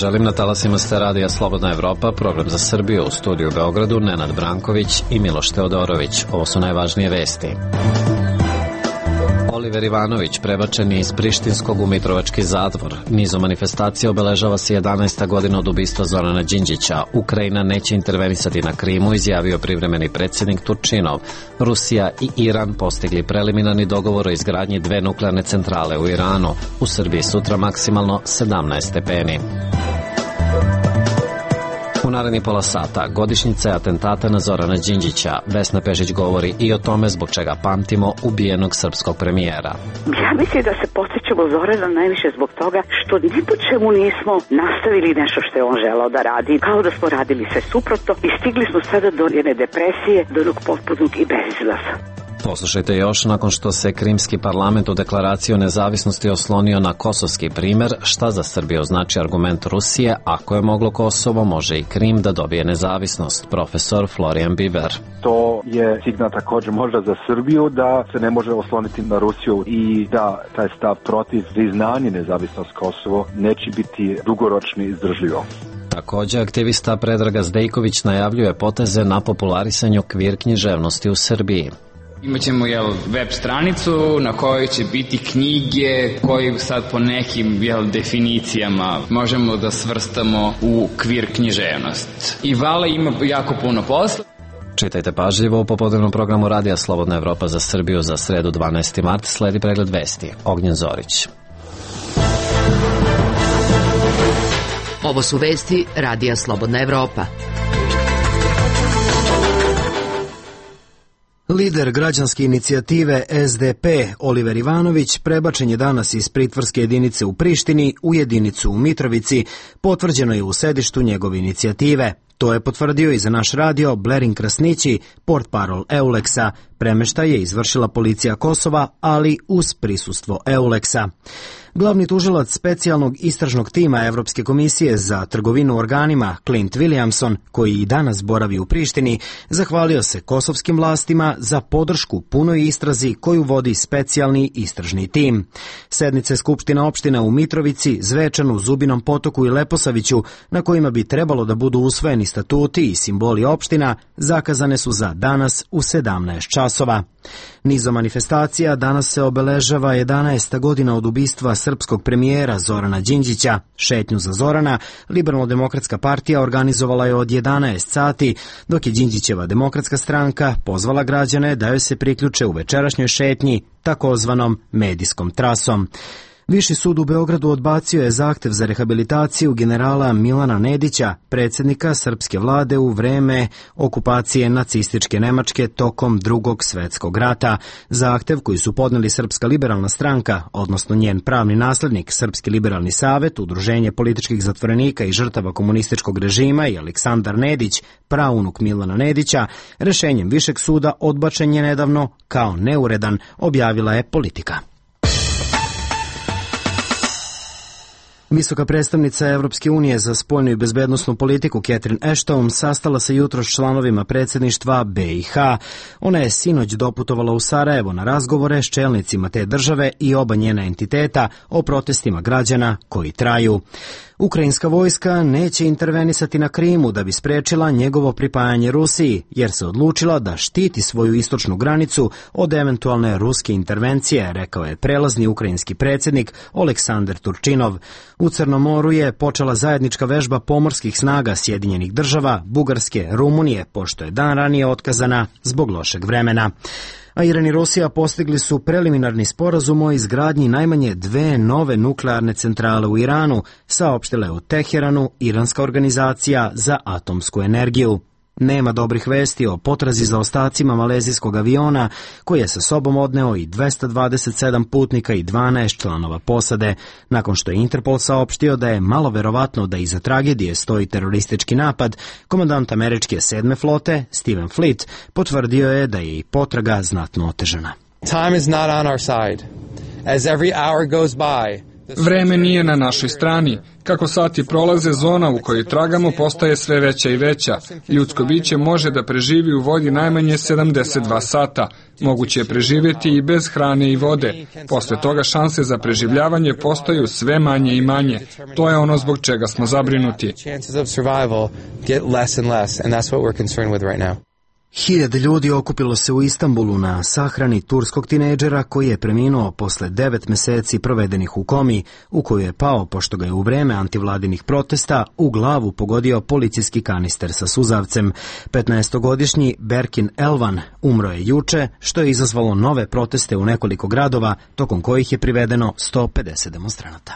Želim na talasima ste radija Slobodna Evropa, program za Srbiju, u studiju u Beogradu, Nenad Branković i Miloš Teodorović. Ovo su najvažnije vesti. Oliver Ivanović prebačen je iz prištinskog u Mitrovački zatvor. Nizom manifestacija obeležava se 11. godina od ubistva Zorana Đinđića. Ukrajina neće intervenisati na Krimu, izjavio privremeni predsjednik Turčinov. Rusija i Iran postigli preliminarni dogovor o izgradnji 2 nuklearne centrale u Iranu. U Srbiji sutra maksimalno 17 stepeni. U naredni pola sata godišnjica je atentata na Zorana Đinđića. Vesna Pešić govori i o tome zbog čega pamtimo ubijenog srpskog premijera. Ja mislim da se podsjećamo Zorana najviše zbog toga što ni po čemu nismo nastavili nešto što je on želao da radi, kao da smo radili sve suprotno i stigli smo sada do jedne depresije, do onog potpunog i bezizlaza. Poslušajte još, nakon što se Krimski parlament u deklaraciji o nezavisnosti oslonio na kosovski primer, šta za Srbiju znači argument Rusije, ako je moglo Kosovo, može i Krim da dobije nezavisnost. Profesor Florian Biber. To je signal također možda za Srbiju da se ne može osloniti na Rusiju i da taj stav protiv priznanja nezavisnost Kosovo neće biti dugoročni izdržljivo. Također, aktivista Predraga Zdejković najavljuje poteze na popularisanju kvir književnosti u Srbiji. Imaćemo web stranicu na kojoj će biti knjige koje sad po nekim definicijama možemo da svrstamo u kvir književnost. I Vala ima jako puno posla. Čitajte pažljivo u popodnevnom programu Radija Slobodna Evropa za Srbiju za sredu 12. mart. Sledi pregled vesti. Ognjen Zorić. Ovo su vesti Radija Slobodna Evropa. Lider građanske inicijative SDP Oliver Ivanović prebačen je danas iz pritvorske jedinice u Prištini u jedinicu u Mitrovici, potvrđeno je u sedištu njegove inicijative. To je potvrdio i za naš radio Blerin Krasnići, portparol Euleksa. Premeštaj je izvršila policija Kosova, ali uz prisustvo Euleksa. Glavni tužilac specijalnog istražnog tima Evropske komisije za trgovinu organima Clint Williamson, koji i danas boravi u Prištini, zahvalio se kosovskim vlastima za podršku punoj istrazi koju vodi specijalni istražni tim. Sednice Skupština opština u Mitrovici, Zvečanu, Zubinom Potoku i Leposaviću, na kojima bi trebalo da budu usvojeni statuti i simboli opština, zakazane su za danas u 17 časova. Nizom manifestacija danas se obeležava 11. godina od ubistva srpskog premijera Zorana Đinđića. Šetnju za Zorana Liberalno-demokratska partija organizovala je od 11 sati, dok je Đinđićeva demokratska stranka pozvala građane da joj se priključe u večerašnjoj šetnji takozvanom medijskom trasom. Viši sud u Beogradu odbacio je zahtev za rehabilitaciju generala Milana Nedića, predsjednika srpske vlade u vreme okupacije nacističke Nemačke tokom Drugog svjetskog rata. Zahtev koji su podneli Srpska liberalna stranka, odnosno njen pravni naslednik Srpski liberalni savet, Udruženje političkih zatvorenika i žrtava komunističkog režima i Aleksandar Nedić, praunuk Milana Nedića, rešenjem Višeg suda odbačen je nedavno kao neuredan, objavila je Politika. Visoka predstavnica Evropske unije za spoljnu i bezbednosnu politiku Catherine Ashton sastala se jutros s članovima predsjedništva BiH. Ona je sinoć doputovala u Sarajevo na razgovore s čelnicima te države i oba njena entiteta o protestima građana koji traju. Ukrajinska vojska neće intervenisati na Krimu da bi sprečila njegovo pripajanje Rusiji, jer se odlučila da štiti svoju istočnu granicu od eventualne ruske intervencije, rekao je prelazni ukrajinski predsjednik Oleksandar Turčinov. U Crnom moru je počela zajednička vežba pomorskih snaga Sjedinjenih država, Bugarske, Rumunije, pošto je dan ranije otkazana zbog lošeg vremena. A Iran i Rusija postigli su preliminarni sporazum o izgradnji najmanje 2 nove nuklearne centrale u Iranu, saopštila je u Teheranu Iranska organizacija za atomsku energiju. Nema dobrih vesti o potrazi za ostacima malezijskog aviona koji je sa sobom odneo i 227 putnika i 12 članova posade. Nakon što je Interpol saopštio da je malo verovatno da iza tragedije stoji teroristički napad, komandant američke 7. flote Stephen Fleet potvrdio je da je i potraga znatno otežana. Time is not on our side. As every hour goes by, Vreme nije na našoj strani. Kako sati prolaze, zona u kojoj tragamo postaje sve veća i veća. Ljudsko biće može da preživi u vodi najmanje 72 sata. Moguće je preživjeti i bez hrane i vode. Posle toga šanse za preživljavanje postaju sve manje i manje. To je ono zbog čega smo zabrinuti. Hiljade ljudi okupilo se u Istanbulu na sahrani turskog tinejdžera koji je preminuo posle 9 meseci provedenih u komi, u koju je pao pošto ga je u vreme antivladinih protesta u glavu pogodio policijski kanister sa suzavcem. 15-godišnji Berkin Elvan umro je juče, što je izazvalo nove proteste u nekoliko gradova, tokom kojih je privedeno 150 demonstranata.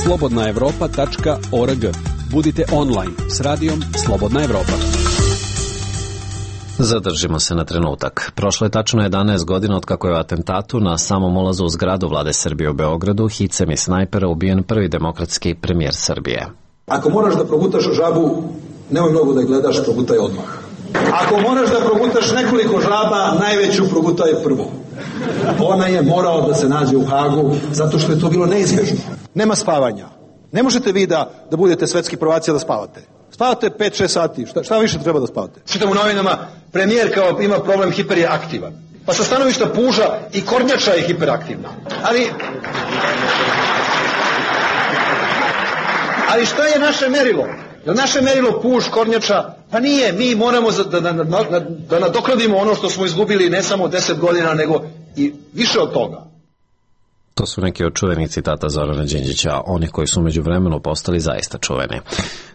slobodnaevropa.org. Budite online s radijom Slobodna Evropa. Zadržimo se na trenutak. Prošlo je tačno 11 godina od kako je u atentatu na samom ulazu u zgradu vlade Srbije u Beogradu hicem i snajpera ubijen prvi demokratski premijer Srbije. Ako moraš da progutaš žabu, nemoj mnogo da je gledaš, progutaj odmah. Ako moraš da progutaš nekoliko žaba, najveću progutaj prvo. Ona je morala da se nađe u Hagu, zato što je to bilo neizbježno. Nema spavanja. Ne možete vi da budete svetski prvaci da spavate. Spavate 5-6 sati, šta više treba da spavate? Čitam u novinama, premijer kao ima problem hiperaktivan. Pa sa stanovišta puža i kornjača je hiperaktivna. Ali šta je naše merilo? Je li naše merilo puž, kornjača? Pa nije, mi moramo da nadoknadimo ono što smo izgubili ne samo 10 godina, nego i više od toga. To su neki od čuvenih citata Zorana Đinđića, onih koji su među vremenu postali zaista čuveni.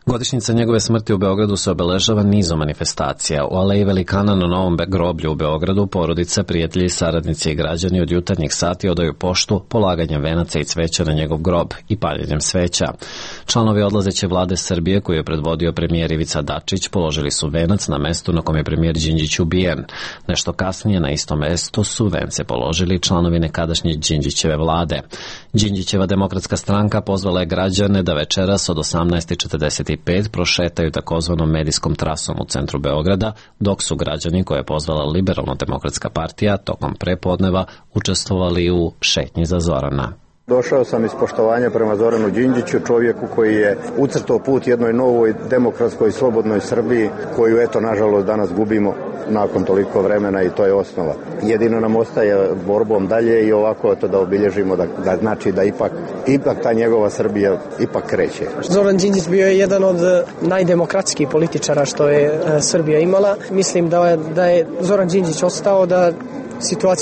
Godišnjica njegove smrti u Beogradu se obeležava nizom manifestacija. U Aleji Velikana na Novom groblju u Beogradu porodica, prijatelji, saradnici i građani od jutarnjih sati odaju poštu polaganjem venaca i cveća na njegov grob i paljenjem sveća. Članovi odlazeće vlade Srbije, koju je predvodio premijer Ivica Dačić, položili su venac na mestu na kom je premijer Đinđić ubijen. Nešto kasnije na istom mestu su vence položili članovi nekadašnje Đinđićeve vlade. Đinđićeva demokratska stranka pozvala je građane da večeras od 18:45 prošetaju takozvanom medijskom trasom u centru Beograda, dok su građani koje je pozvala Liberalno-demokratska partija tokom prepodneva učestvovali u šetnji za Zorana. Došao sam iz poštovanja prema Zoranu Đinđiću, čovjeku koji je ucrtao put jednoj novoj demokratskoj i slobodnoj Srbiji, koju eto nažalost danas gubimo nakon toliko vremena i to je osnova. Jedino nam ostaje borbom dalje i ovako to da obilježimo da znači da ipak ta njegova Srbija ipak kreće. Zoran Đinđić bio je jedan od najdemokratskih političara što je Srbija imala. Mislim da je Zoran Đinđić ostao, da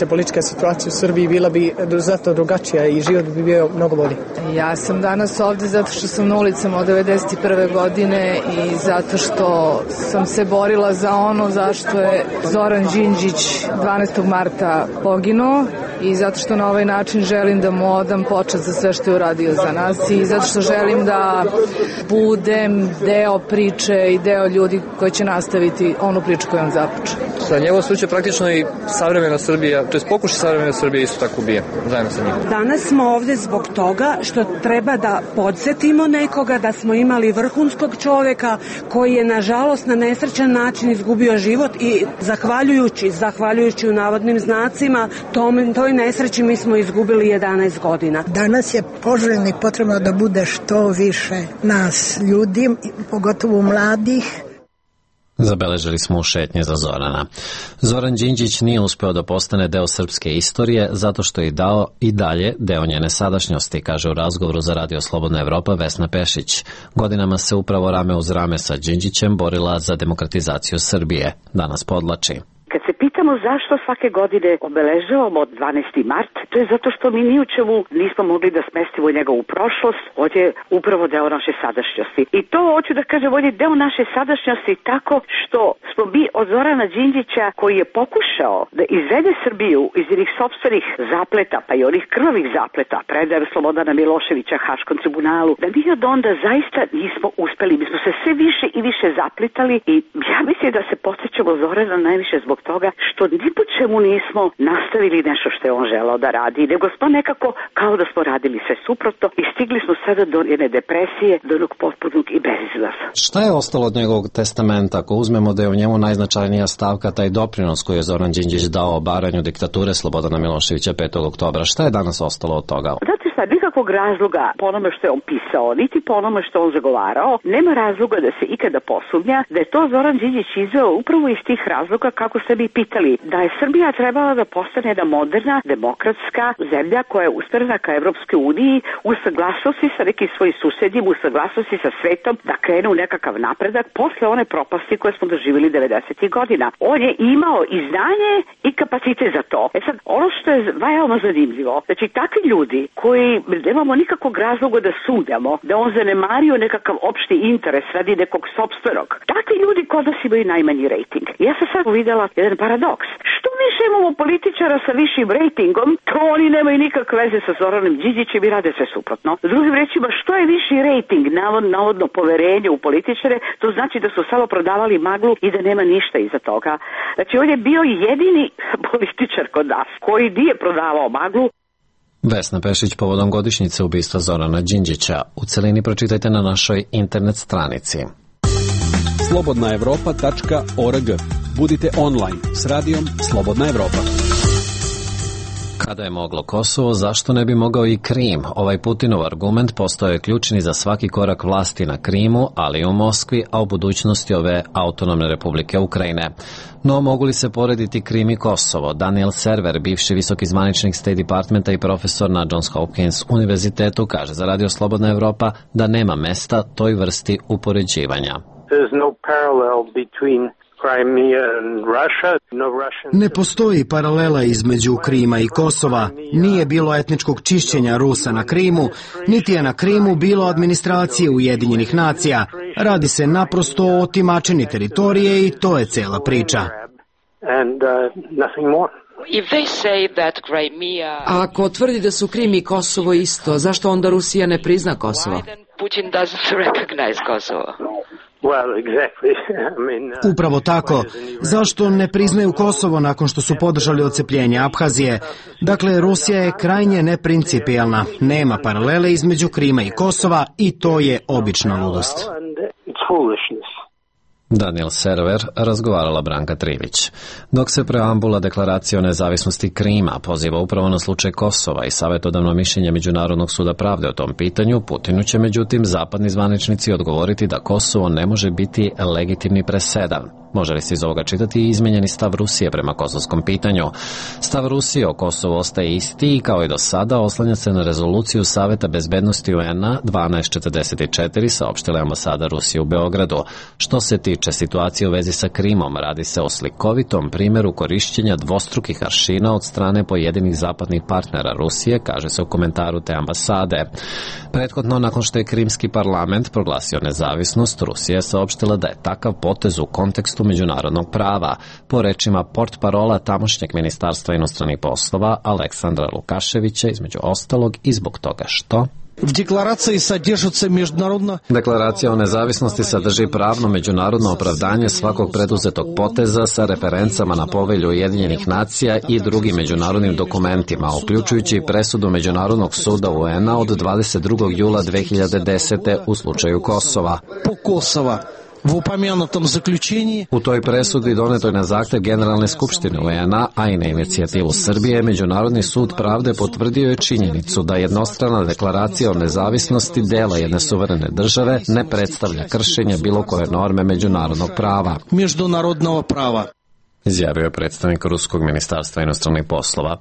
politička situacija u Srbiji bila bi znatno drugačija i život bi bio mnogo bolji. Ja sam danas ovde zato što sam na ulicama od 1991. godine i zato što sam se borila za ono zašto je Zoran Đinđić 12. marta poginuo i zato što na ovaj način želim da mu odam počast za sve što je uradio za nas i zato što želim da budem deo priče i deo ljudi koji će nastaviti onu priču koju on započeo. Sa njegov slučaj praktično i savremena Srbija, to je pokušaj savremena Srbije isto tako ubije, zajedno sa njim. Danas smo ovde zbog toga što treba da podsjetimo nekoga da smo imali vrhunskog čoveka koji je nažalost na nesrećan način izgubio život i zahvaljujući u navodnim znacima toj nesreći mi smo izgubili 11 godina. Danas je poželjno i potrebno da bude što više nas ljudi, pogotovo mladih. Zabeležili smo u šetnje za Zorana. Zoran Đinđić nije uspeo da postane deo srpske istorije zato što je dao i dalje deo njene sadašnjosti, kaže u razgovoru za Radio Slobodna Evropa Vesna Pešić. Godinama se upravo rame uz rame sa Đinđićem borila za demokratizaciju Srbije. Danas podlači. Kad se pitamo zašto svake godine obeležavamo 12. mart, to je zato što mi ni u čemu nismo mogli da smestimo njega u prošlost, on je upravo deo naše sadašnjosti. I to hoću da kažem, on je deo naše sadašnjosti tako što smo mi od Zorana Đinđića, koji je pokušao da izvede Srbiju iz njih sopstvenih zapleta, pa i onih krvavih zapleta, predaje Slobodana Miloševića Haškom tribunalu, da mi od onda zaista nismo uspeli. Mi smo se sve više i više zapletali i ja mislim da se podsjećamo Zorana najviše zbog toga što ni po čemu nismo nastavili nešto što je on želao da radi, nego smo nekako kao da smo radili sve suprotno i stigli smo sada do jedne depresije, do onog potpunog i bezizlaza. Šta je ostalo od njegovog testamenta ako uzmemo da je u njemu najznačajnija stavka taj doprinos koji je Zoran Đinđić dao obaranju diktature Slobodana Miloševića 5. oktobra? Šta je danas ostalo od toga? Znate šta, mi nikakvog razloga po onome što je on pisao, niti po onome što on zagovarao, nema razloga da se ikada posumnja da je to Zoran Đinđić izveo upravo iz tih razloga kako ste bi pitali, da je Srbija trebala da postane jedna moderna, demokratska zemlja koja je usmerena ka Evropskoj uniji u saglasnosti sa nekim svojim susedima, u saglasnosti sa svetom, da krene u nekakav napredak posle one propasti koje smo doživjeli 90. godina. On je imao i znanje i kapacitet za to. Sad, ono što je veoma zanimljivo, znači takvi ljudi koji nemamo nikakvog razloga da sumnjamo, da on zanemario nekakav opšti interes radi nekog sopstvenog, takvi ljudi kod nas imaju najmanji rejting. Ja sam sad uvidela jedan paradoks. Što više imamo političara sa višim rejtingom, to oni nemaju nikakve veze sa Zoranom Đinđićem i rade sve suprotno. Drugim rečima, što je viši rejting, navodno poverenje u političare, to znači da su samo prodavali maglu i da nema ništa iza toga. Znači, on je bio jedini političar kod nas koji nije prodavao maglu. Vesna Pešić povodom godišnjice ubistva Zorana Đinđića. U celini pročitajte na našoj internet stranici. slobodnaevropa.org. Budite online s radijom Slobodna Evropa. Kada je moglo Kosovo, zašto ne bi mogao i Krim? Ovaj Putinov argument postao je ključni za svaki korak vlasti na Krimu, ali i u Moskvi, a u budućnosti ove autonomne republike Ukrajine. No, mogu li se porediti Krim i Kosovo? Daniel Server, bivši visoki zvaničnik State Departmenta i profesor na Johns Hopkins univerzitetu, kaže za Radio Slobodna Evropa da nema mesta toj vrsti upoređivanja. Ne postoji paralela između Krima i Kosova. Nije bilo etničkog čišćenja Rusa na Krimu, niti je na Krimu bilo administracije Ujedinjenih nacija. Radi se naprosto o otimačini teritorije i to je cela priča. A ako tvrdi da su Krim i Kosovo isto, zašto onda Rusija ne prizna Kosovo? Upravo tako. Zašto ne priznaju Kosovo nakon što su podržali odcepljenje Abhazije? Dakle, Rusija je krajnje neprincipijelna. Nema paralele između Krima i Kosova i to je obična ludost. Daniel Server, razgovarala Branka Trivić. Dok se preambula deklaracije o nezavisnosti Krima poziva upravo na slučaj Kosova i savjetodavno mišljenje Međunarodnog suda pravde o tom pitanju, Putinu će međutim zapadni zvaničnici odgovoriti da Kosovo ne može biti legitimni presedan. Može li se iz ovoga čitati i izmenjeni stav Rusije prema kosovskom pitanju? Stav Rusije o Kosovu ostaje isti i kao i do sada oslanja se na rezoluciju Saveta bezbednosti UN-a 1244, saopštila je ambasada Rusije u Beogradu. Što se tiče situacije u vezi sa Krimom, radi se o slikovitom primjeru korišćenja dvostrukih aršina od strane pojedinih zapadnih partnera Rusije, kaže se u komentaru te ambasade. Prethodno, nakon što je Krimski parlament proglasio nezavisnost, Rusija je saopštila da je takav potez u kontekstu međunarodnog prava. Po rečima portparola tamošnjeg ministarstva inostranih poslova Aleksandra Lukaševića, između ostalog i zbog toga što Deklaracija o nezavisnosti sadrži pravno međunarodno opravdanje svakog preduzetog poteza sa referencama na povelju Ujedinjenih nacija i drugim međunarodnim dokumentima, uključujući presudu Međunarodnog suda UN-a od 22. jula 2010. u slučaju Kosova. U toj presudi donetoj na zahtev Generalne skupštine UN-a, a i na inicijativu Srbije, Međunarodni sud pravde potvrdio je činjenicu da jednostrana deklaracija o nezavisnosti dela jedne suverene države ne predstavlja kršenje bilo koje norme međunarodnog prava. Izjavio je predstavnik Ruskog ministarstva inostranih poslova.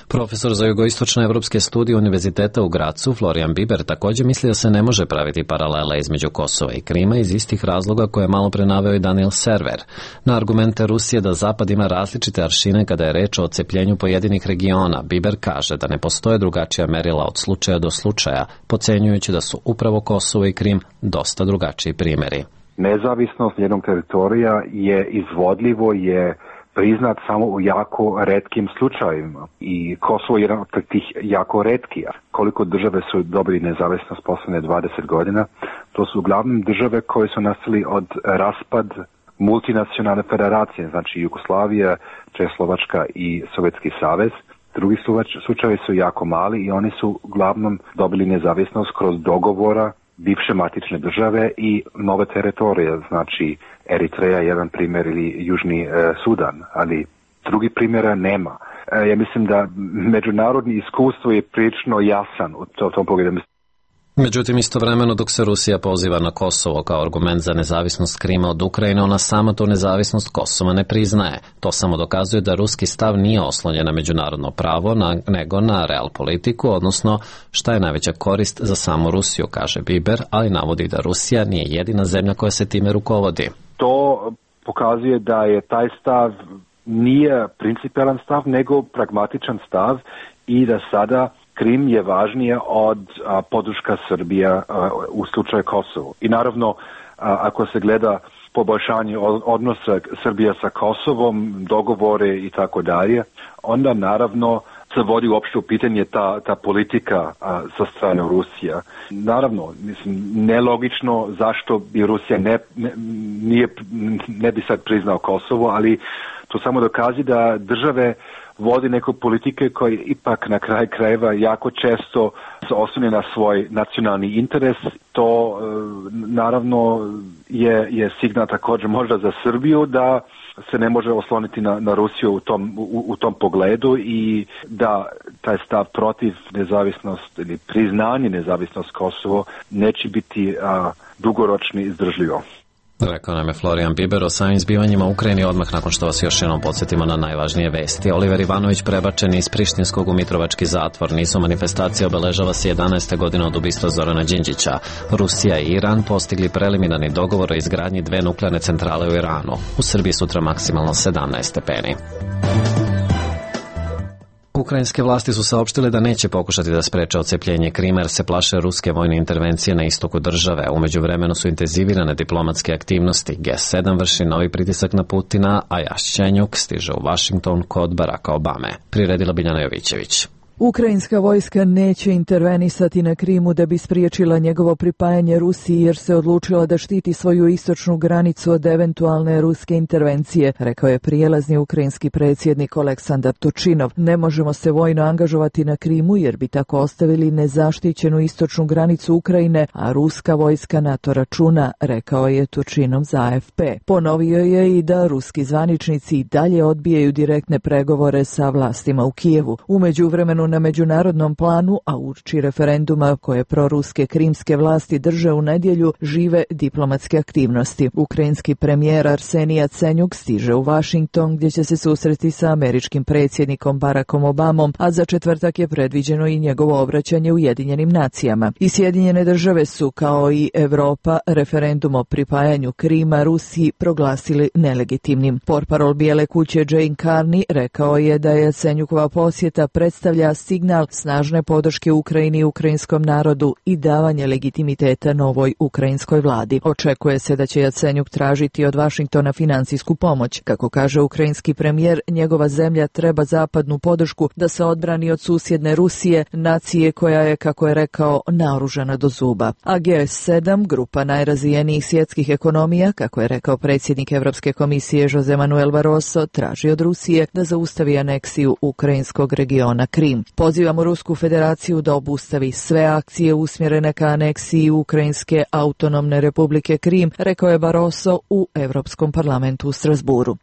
Profesor za jugoistočne evropske studije Univerziteta u Gracu, Florian Biber, također misli da se ne može praviti paralela između Kosova i Krima iz istih razloga koje je malo pre naveo i Daniel Server. Na argumente Rusije da Zapad ima različite aršine kada je reč o odcepljenju pojedinih regiona, Biber kaže da ne postoje drugačija merila od slučaja do slučaja, pocenjujući da su upravo Kosovo i Krim dosta drugačiji primjeri. Nezavisnost jednog teritorija je izvodljivo, je priznat samo u jako retkim slučajevima i Kosovo je jedan od tih jako retkija. Koliko države su dobili nezavisnost posljednje 20 godina, to su uglavnom države koje su nastali od raspad multinacionalne federacije, znači Jugoslavija, Čehoslovačka i Sovjetski savez. Drugi slučajevi su jako mali i oni su uglavnom dobili nezavisnost kroz dogovora bivše matične države i nove teritorije, znači Eritreja jedan primjer ili Južni Sudan, ali drugi primjera nema. Ja mislim da međunarodni iskustvo je prilično jasan u tom pogledu. Međutim, istovremeno dok se Rusija poziva na Kosovo kao argument za nezavisnost Krima od Ukrajine, ona sama tu nezavisnost Kosova ne priznaje. To samo dokazuje da ruski stav nije oslonjen na međunarodno pravo, nego na real politiku, odnosno šta je najveća korist za samu Rusiju, kaže Biber, ali navodi da Rusija nije jedina zemlja koja se time rukovodi. To pokazuje da je taj stav nije principijelan stav, nego pragmatičan stav i da sada Krim je važnije od podrška Srbija u slučaju Kosovo. I naravno, ako se gleda poboljšanje odnosa Srbija sa Kosovom, dogovore i tako dalje, onda naravno se vodi uopšte u pitanje ta politika sa strane Rusija. Naravno, mislim, nelogično zašto bi Rusija ne bi sad priznao Kosovo, ali to samo dokazi da države vodi neko politike koji ipak na kraj krajeva jako često se oslone na svoj nacionalni interes. To naravno je signal također možda za Srbiju da se ne može osloniti na Rusiju u tom pogledu i da taj stav protiv nezavisnost ili priznanje nezavisnost Kosovo neće biti dugoročni izdržljivo. Rekao nam je Florijan Biber o samim zbivanjima u Ukrajini odmah nakon što vas još jednom podsjetimo na najvažnije vesti. Oliver Ivanović prebačen iz Prištinskog u Mitrovački zatvor. Nizu manifestacije obeležava se 11. godina od ubistva Zorana Đinđića. Rusija i Iran postigli preliminarni dogovor o izgradnji 2 nuklearne centrale u Iranu. U Srbiji sutra maksimalno 17 stepeni. Ukrajinske vlasti su saopštile da neće pokušati da spreče odcepljenje Krima jer se plaše ruske vojne intervencije na istoku države. U međuvremenu su intenzivirane diplomatske aktivnosti. G7 vrši novi pritisak na Putina, a Jašćenjuk stiže u Washington kod Baracka Obame. Priredila Biljana Jovićević. Ukrajinska vojska neće intervenisati na Krimu da bi spriječila njegovo pripajanje Rusiji jer se odlučila da štiti svoju istočnu granicu od eventualne ruske intervencije, rekao je prijelazni ukrajinski predsjednik Oleksandar Tučinov. Ne možemo se vojno angažovati na Krimu jer bi tako ostavili nezaštićenu istočnu granicu Ukrajine, a ruska vojska na to računa, rekao je Tučinov za AFP. Ponovio je i da ruski zvaničnici i dalje odbijaju direktne pregovore sa vlastima u Kijevu. U međuvremenu na međunarodnom planu, a uoči referenduma koje proruske krimske vlasti drže u nedjelju, žive diplomatske aktivnosti. Ukrajinski premijer Arsenij Jacenjuk stiže u Washington gdje će se susreti sa američkim predsjednikom Barackom Obamom, a za četvrtak je predviđeno i njegovo obraćanje Ujedinjenim nacijama. I Sjedinjene države su, kao i Evropa, referendum o pripajanju Krima Rusiji proglasili nelegitimnim. Portparol Bijele kuće Jane Carney rekao je da je Jacenjukova posjeta predstavlja signal snažne podrške Ukrajini i ukrajinskom narodu i davanje legitimiteta novoj ukrajinskoj vladi. Očekuje se da će Jacenjuk tražiti od Vašingtona financijsku pomoć. Kako kaže ukrajinski premijer, njegova zemlja treba zapadnu podršku da se odbrani od susjedne Rusije, nacije koja je, kako je rekao, naoružana do zuba. A G7, grupa najrazvijenijih svjetskih ekonomija, kako je rekao predsjednik Europske komisije Jose Manuel Barroso, traži od Rusije da zaustavi aneksiju ukrajinskog regiona Krim. Pozivamo Rusku federaciju da obustavi sve akcije usmjerene ka aneksiji Ukrajinske autonomne republike Krim, rekao je Barroso u Europskom parlamentu u Strasburu.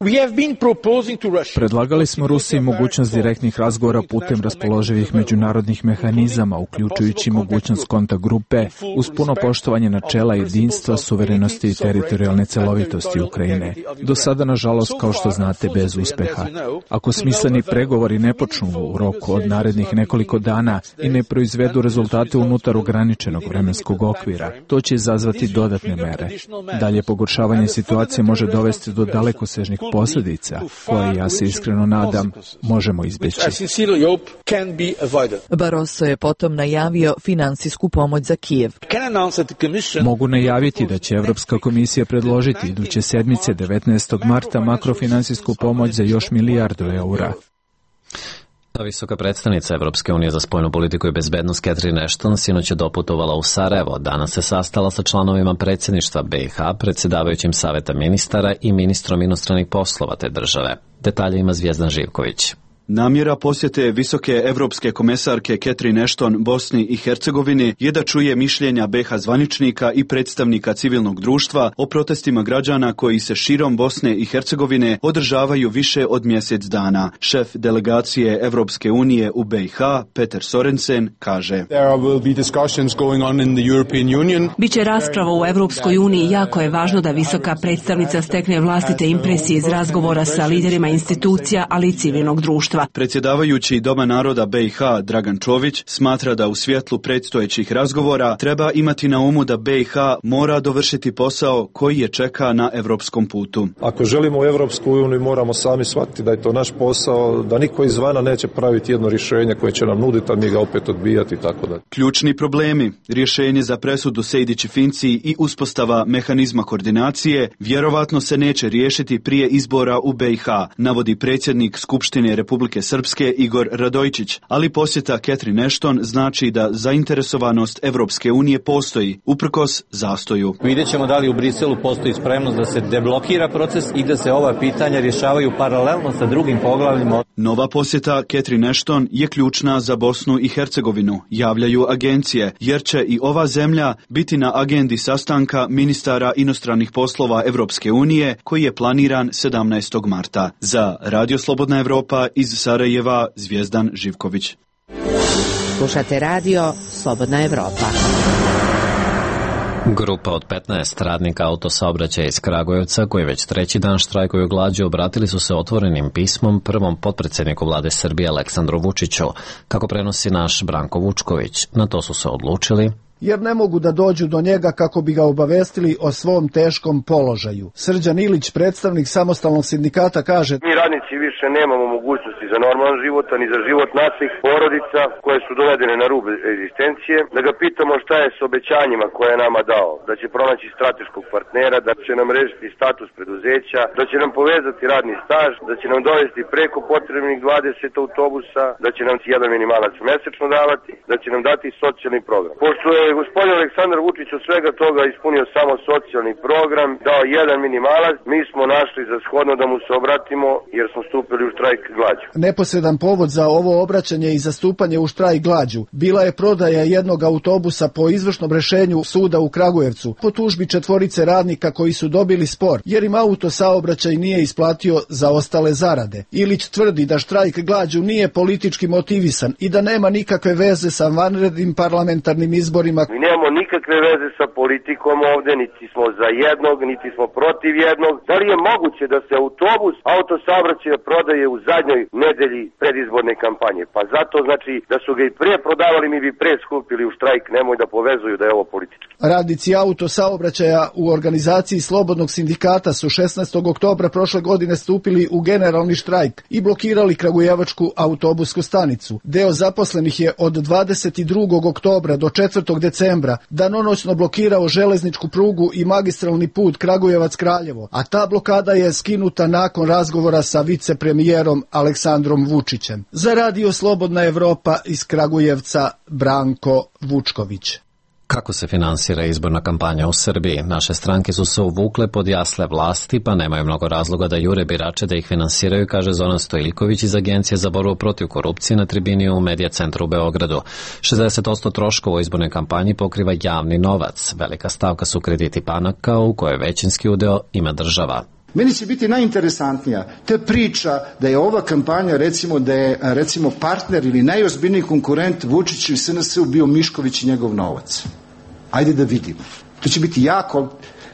Predlagali smo Rusiji mogućnost direktnih razgovora putem raspoloživih međunarodnih mehanizama, uključujući mogućnost kontakt grupe, uz puno poštovanje načela jedinstva, suverenosti i teritorijalne celovitosti Ukrajine. Do sada, nažalost, kao što znate, bez uspeha. Ako smisleni pregovori ne počnu u roku od narednih nekoliko dana i ne proizvedu rezultate unutar ograničenog vremenskog okvira, to će izazvati dodatne mere. Dalje pogoršavanje situacije može dovesti do dalekosežnih posljedica, koje, ja se iskreno nadam, možemo izbjeći. Barroso je potom najavio financijsku pomoć za Kijev. Mogu najaviti da će Europska komisija predložiti iduće sedmice 19. marta makrofinansijsku pomoć za još $1 milijardu. Visoka predstavnica Evropske unije za spoljnu politiku i bezbednost Catherine Ashton sinoć je doputovala u Sarajevo. Danas se sastala sa članovima predsjedništva BiH, predsjedavajućim saveta ministara i ministrom inostranih poslova te države. Detalje ima Zvijezdan Živković. Namjera posjete visoke evropske komesarke Catherine Ashton Bosni i Hercegovini je da čuje mišljenja BiH zvaničnika i predstavnika civilnog društva o protestima građana koji se širom Bosne i Hercegovine održavaju više od mjesec dana. Šef delegacije Evropske unije u BiH, Peter Sorensen, kaže: Biće rasprava u Evropskoj uniji. Jako je važno da visoka predstavnica stekne vlastite impresije iz razgovora sa liderima institucija, ali i civilnog društva. Predsjedavajući Doma naroda BiH Dragan Čović smatra da u svjetlu predstojećih razgovora treba imati na umu da BiH mora dovršiti posao koji je čeka na evropskom putu. Ako želimo u Evropsku uniju, moramo sami shvatiti da je to naš posao, da niko izvana neće praviti jedno rješenje koje će nam nuditi, a mi ga opet odbijati, tako da. Ključni problemi, rješenje za presudu Sejdić-Finci i uspostava mehanizma koordinacije vjerovatno se neće riješiti prije izbora u BiH, navodi predsjednik Skupštine Republike Srpske Igor Radojčić, ali posjeta Catherine Ashton znači da zainteresovanost Evropske unije postoji, uprkos zastoju. Vidjet ćemo da li u Briselu postoji spremnost da se deblokira proces i da se ova pitanja rješavaju paralelno sa drugim poglavljima. Nova posjeta Catherine Ashton je ključna za Bosnu i Hercegovinu, javljaju agencije, jer će i ova zemlja biti na agendi sastanka ministara inostranih poslova Evropske unije koji je planiran 17. marta. Za Radio Slobodna Evropa iz Sarajeva, Zvijezdan Živković. Slušate radio Slobodna Evropa. Grupa od 15 radnika autosaobraćaja iz Kragujevca, koji već treći dan štrajkuju glađu, obratili su se otvorenim pismom prvom potpredsjedniku vlade Srbije Aleksandru Vučiću, kako prenosi naš Branko Vučković. Na to su se odlučili jer ne mogu da dođu do njega kako bi ga obavestili o svom teškom položaju. Srđan Ilić, predstavnik samostalnog sindikata, kaže: Mi radnici više nemamo mogućnosti za normalan život, ni za život naših porodica koje su dovedene na rub egzistencije, da ga pitamo šta je s obećanjima koje je nama dao, da će pronaći strateškog partnera, da će nam rešiti status preduzeća, da će nam povezati radni staž, da će nam dovesti preko potrebnih 20 autobusa, da će nam jedan minimalac mesečno davati, da će nam dati socijalni program. Pošto je gospodin Aleksandar Vučić od svega toga ispunio samo socijalni program, dao jedan minimalac, mi smo našli za shodno da mu se obratimo jer smo stupili u štrajk glađu. Neposredan povod za ovo obraćanje i zastupanje u štrajk glađu bila je prodaja jednog autobusa po izvršnom rešenju suda u Kragujevcu po tužbi 4 radnika koji su dobili spor jer im autosaobraćaj nije isplatio zaostale zarade. Ilić tvrdi da štrajk glađu nije politički motivisan i da nema nikakve veze sa vanrednim parlamentarnim izborima. Mi nemamo nikakve veze sa politikom ovde, niti smo za jednog, niti smo protiv jednog. Da li je moguće da se autobus autosaobraćaja prodaje u zadnjoj nedelji predizborne kampanje? Pa zato znači da su ga i pre prodavali, mi bi pre skupili u štrajk, nemoj da povezuju da je ovo politički. Radnici autosaobraćaja u organizaciji Slobodnog sindikata su 16. oktobra prošle godine stupili u generalni štrajk i blokirali kragujevačku autobusku stanicu. Deo zaposlenih je od 22. oktobra do 4. decembra danonoćno blokirao železničku prugu i magistralni put Kragujevac-Kraljevo, a ta blokada je skinuta nakon razgovora sa vicepremijerom Aleksandrom Vučićem. Za Radio Slobodna Evropa iz Kragujevca, Branko Vučković. Kako se finansira izborna kampanja u Srbiji? Naše stranke su se uvukle pod jasle vlasti, pa nemaju mnogo razloga da jure birače da ih finansiraju, kaže Zoran Stojiljković iz Agencije za borbu protiv korupcije na tribini u Medija centru u Beogradu. 60% troškova u izbornoj kampanji pokriva javni novac. Velika stavka su krediti banaka, u kojoj većinski udeo ima država. Meni će biti najinteresantnija te priča da je ova kampanja, da je partner ili najozbiljniji konkurent Vučiću i SNS-u bio Mišković i njegov novac. Ajde da vidimo. To će biti jako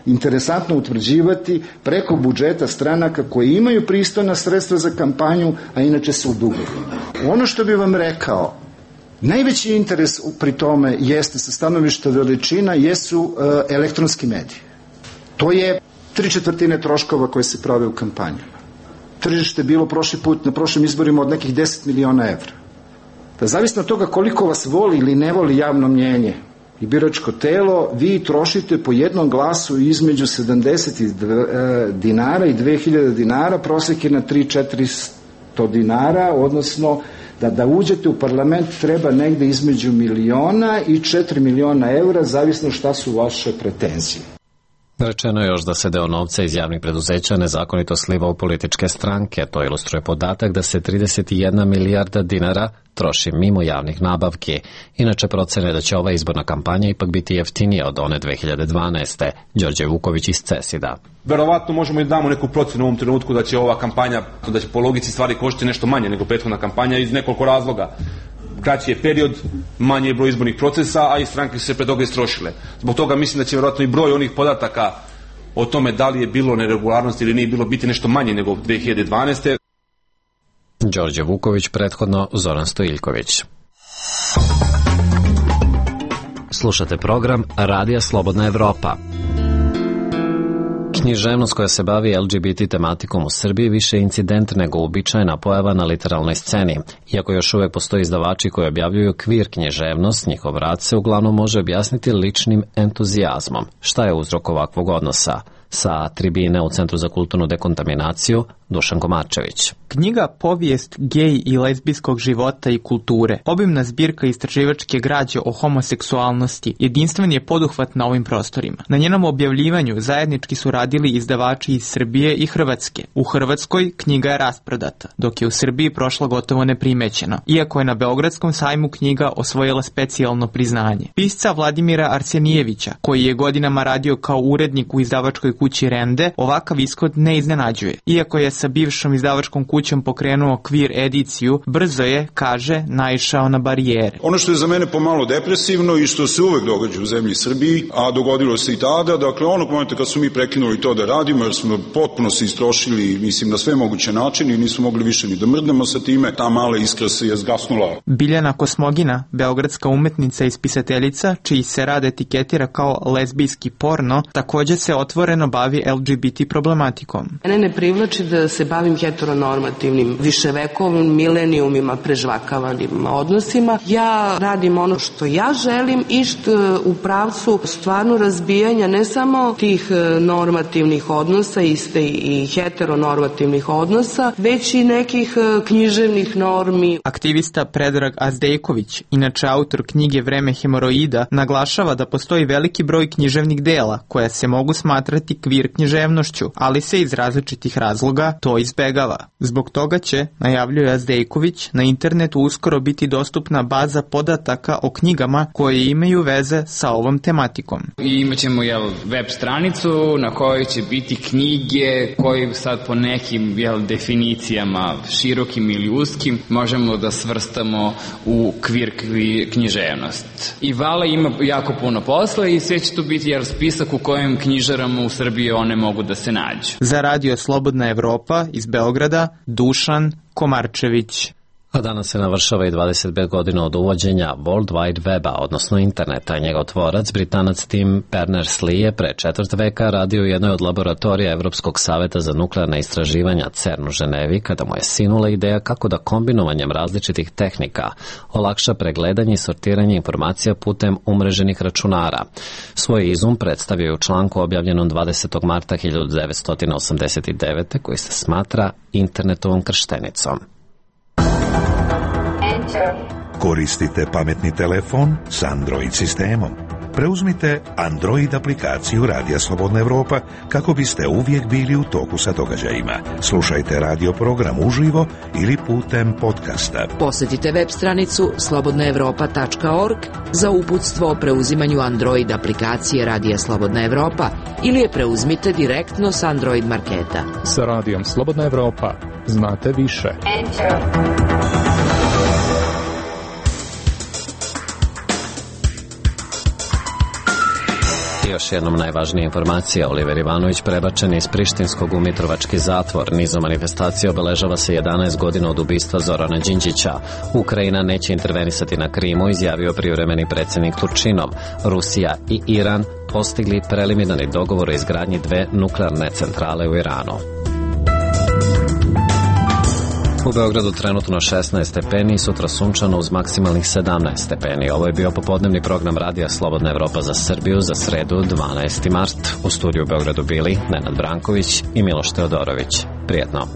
interesantno utvrđivati preko budžeta stranaka koji imaju pristojna sredstva za kampanju, a inače su u dugovima. Ono što bi vam rekao, najveći interes pri tome jeste sa stanovišta veličina jesu elektronski mediji. To je 3/4 troškova koje se prave u kampanjama. Tržište je bilo prošli put na prošlim izborima od nekih 10 miliona evra. Da zavisno od toga koliko vas voli ili ne voli javno mnjenje i biračko telo, vi trošite po jednom glasu između 70 dinara i 2000 dinara, prosjek je na 300-400 dinara, odnosno da uđete u parlament treba negde između miliona i 4 miliona evra, zavisno šta su vaše pretenzije. Rečeno je još da se deo novca iz javnih preduzeća nezakonito sliva u političke stranke. To ilustruje podatak da se 31 milijarda dinara troši mimo javnih nabavki. Inače procene da će ova izborna kampanja ipak biti jeftinija od one 2012. Đorđe Vuković iz CESID-a. Verovatno možemo i damo neku procenu u ovom trenutku da će ova kampanja, da će po logici stvari koštiti nešto manje nego prethodna kampanja iz nekoliko razloga. Kraći je period, manje je broj izbornih procesa, a i stranke su se pre toga istrošile. Zbog toga mislim da će vjerojatno i broj onih podataka o tome da li je bilo neregularnosti ili nije bilo biti nešto manje nego 2012. Đorđe Vuković, prethodno Zoran Stojiljković. Slušate program Radija Slobodna Evropa. Književnost koja se bavi LGBT tematikom u Srbiji više je incident nego uobičajena pojava na literalnoj sceni. Iako još uvek postoji izdavači koji objavljuju kvir književnost, njihov rad se uglavnom može objasniti ličnim entuzijazmom. Šta je uzrok ovakvog odnosa? Sa tribine u Centru za kulturnu dekontaminaciju, Dušan Komarčević. Knjiga Povijest gej i lezbijskog života i kulture, obimna zbirka istraživačke građe o homoseksualnosti, jedinstven je poduhvat na ovim prostorima. Na njenom objavljivanju zajednički su radili izdavači iz Srbije i Hrvatske. U Hrvatskoj knjiga je rasprodata, dok je u Srbiji prošla gotovo neprimećeno, iako je na Beogradskom sajmu knjiga osvojila specijalno priznanje. Pisca Vladimira Arsenijevića, koji je godinama radio kao urednik u izdavačkoj kući Rende, ovakav ishod ne iznenađuje. Iako je sa bivšom izdavačkom kućom pokrenuo kvir ediciju, brzo je, kaže, naišao na barijere. Ono što je za mene pomalo depresivno i što se uvek događa u zemlji Srbiji, a dogodilo se i tada, dakle onog momenta kad su mi prekinuli to da radimo, jer smo potpuno se istrošili, mislim, na sve moguće načine i nismo mogli više ni da mrdnemo sa time, ta mala iskra se je zgasnula. Biljana Kosmogina, beogradska umetnica i spisateljica, čiji se rad etiketira kao lezbijski porno, također se otvoreno bavi LGBT problematikom. Mene ne privlači da se bavim heteronormativnim, viševekovnim, milenijumima, prežvakavanim odnosima. Ja radim ono što ja želim i što u pravcu stvarno razbijanja ne samo tih normativnih odnosa, iste i heteronormativnih odnosa, već i nekih književnih normi. Aktivista Predrag Azdejković, inače autor knjige Vreme hemoroida, naglašava da postoji veliki broj književnih dela koja se mogu smatrati kvir književnošću, ali se iz različitih razloga to izbegava. Zbog toga će, najavljuje Azdejković, na internetu uskoro biti dostupna baza podataka o knjigama koje imaju veze sa ovom tematikom. I imaćemo web stranicu na kojoj će biti knjige koje sad po nekim definicijama, širokim ili uskim, možemo da svrstamo u kvir književnost. I Vala ima jako puno posla i sve će tu biti spisak u kojem knjižarama u Srbiji one mogu da se nađu. Za Radio Slobodna Evropa iz Beograda, Dušan Komarčević. A danas se navršava i 25 godina od uvođenja World Wide Weba, odnosno interneta. Njegov tvorac, Britanac Tim Berners-Lee, je pre 4 veka radio u jednoj od laboratorija Evropskog saveta za nuklearna istraživanja CERN u Ženevi, kada mu je sinula ideja kako da kombinovanjem različitih tehnika olakša pregledanje i sortiranje informacija putem umreženih računara. Svoj izum predstavio je u članku objavljenom 20. marta 1989. koji se smatra internetovom krštenicom. Koristite pametni telefon s Android sistemom. Preuzmite Android aplikaciju Radija Slobodna Evropa kako biste uvijek bili u toku sa događajima. Slušajte radio program uživo ili putem podcasta. Posjetite web stranicu slobodnaevropa.org za uputstvo o preuzimanju Android aplikacije Radija Slobodna Evropa ili je preuzmite direktno s Android marketa. Sa Radijom Slobodna Evropa znate više. Još jednom najvažnija informacija, Oliver Ivanović prebačen iz prištinskog u mitrovački zatvor. Nizom manifestacija obeležava se 11 godina od ubistva Zorana Đinđića. Ukrajina neće intervenisati na Krimu, izjavio privremeni predsjednik Turčinov. Rusija i Iran postigli preliminarni dogovor o izgradnji 2 nuklearne centrale u Iranu. U Beogradu trenutno 16 stepeni i sutra sunčano uz maksimalnih 17 stepeni. Ovo je bio popodnevni program Radija Slobodna Evropa za Srbiju za sredu 12. mart. U studiju u Beogradu bili Nenad Branković i Miloš Teodorović. Prijetno.